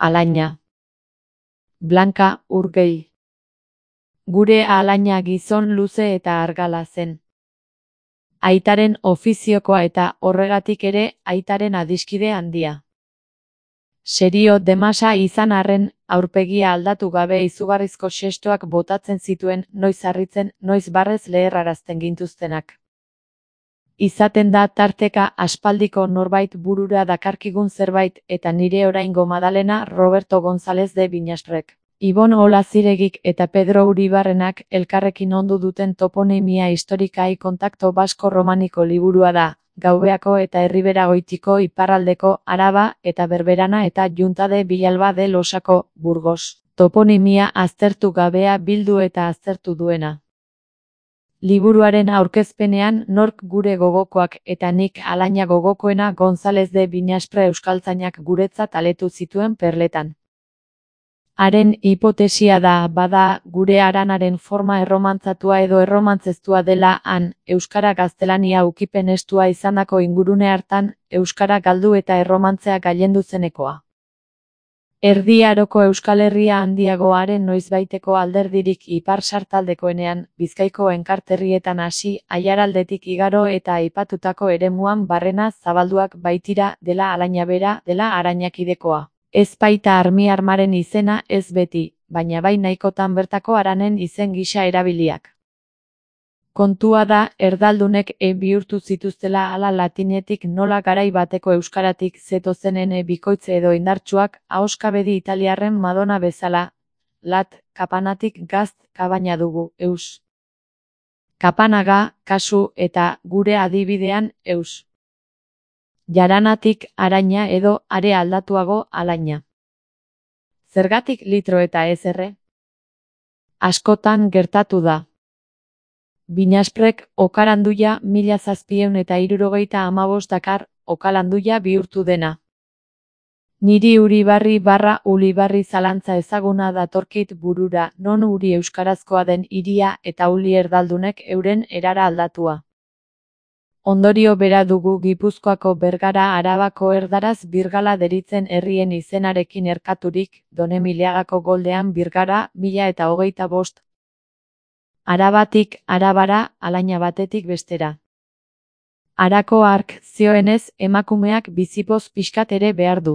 Alaina. Blanka Urgell. Gure alaina gizon luze eta argala zen. Aitaren ofiziokoa eta horregatik ere aitaren adiskide handia. Serio demasa izan arren, aurpegia aldatu gabe izugarrizko xestoak botatzen zituen, noiz harritzen, noiz barrez leherrarazten gintuztenak. Izaten da tarteka aspaldiko norbait burura dakarkigun zerbait eta nire oraingo Madalena Roberto González de Viñasprek. Ibon Olaziregik eta Pedro Uribarrenak elkarrekin ondu duten toponimia historikai kontakto basko-romaniko liburua da, Gaubeako eta Erribera-Goitiko iparraldeko Araba eta Berberana eta Junta de Villalba de Losako, Burgos. Toponimia aztertu gabea bildu eta aztertu duena. Liburuaren aurkezpenean nork gure gogokoak eta nik alaina gogokoena González de Viñaspre euskaltzainak guretzat aletu zituen perletan. Haren hipotesia da, bada, gure haranaren forma erromantzatua edo erromantzeztua dela han, euskara gaztelania ukipen estua izandako ingurune hartan, euskara galdu eta erromantzea gailendu zenekoa. Erdi Aroko Euskal Herria handiagoaren noizbaiteko alderdirik ipar sartaldekoenean, Bizkaiko enkarterrietan hasi, Aiaraldetik igaro eta aipatutako eremuan barrena zabalduak baitira, dela alaina bera, dela arainakidekoa. Ez baita armi-armaren izena ez beti, baina bai nahikotan bertako haranen izen gisa erabiliak. Kontua da, erdaldunek bihurtu zituztela ala latinetik nola garai bateko euskaratik zetozenen bikoitze edo indartsuak, ahoskabedi italiarren Madonna bezala, kapanatik gazt kabaina dugu, eus. Kapanaga, kasu eta gure adibidean, eus. Jaranatik araina edo are aldatuago alaina. Zergatik litro eta ez erre? Askotan gertatu da. Viñasprek okaranduia 1775 dakar, okalanduia bihurtu dena. Niri Uribarri zalantza ezaguna datorkit burura, non Uri euskarazkoa den hiria eta Uli erdaldunek euren erara aldatua. Ondorio bera dugu Gipuzkoako Bergara Arabako erdaraz Birgala deritzen herrien izenarekin erkaturik, Donemiliagako goldean Birgara 1025. Arabatik Arabara, alaina batetik bestera. Arako hark zioenez emakumeak bizipoz pixkat ere behar du.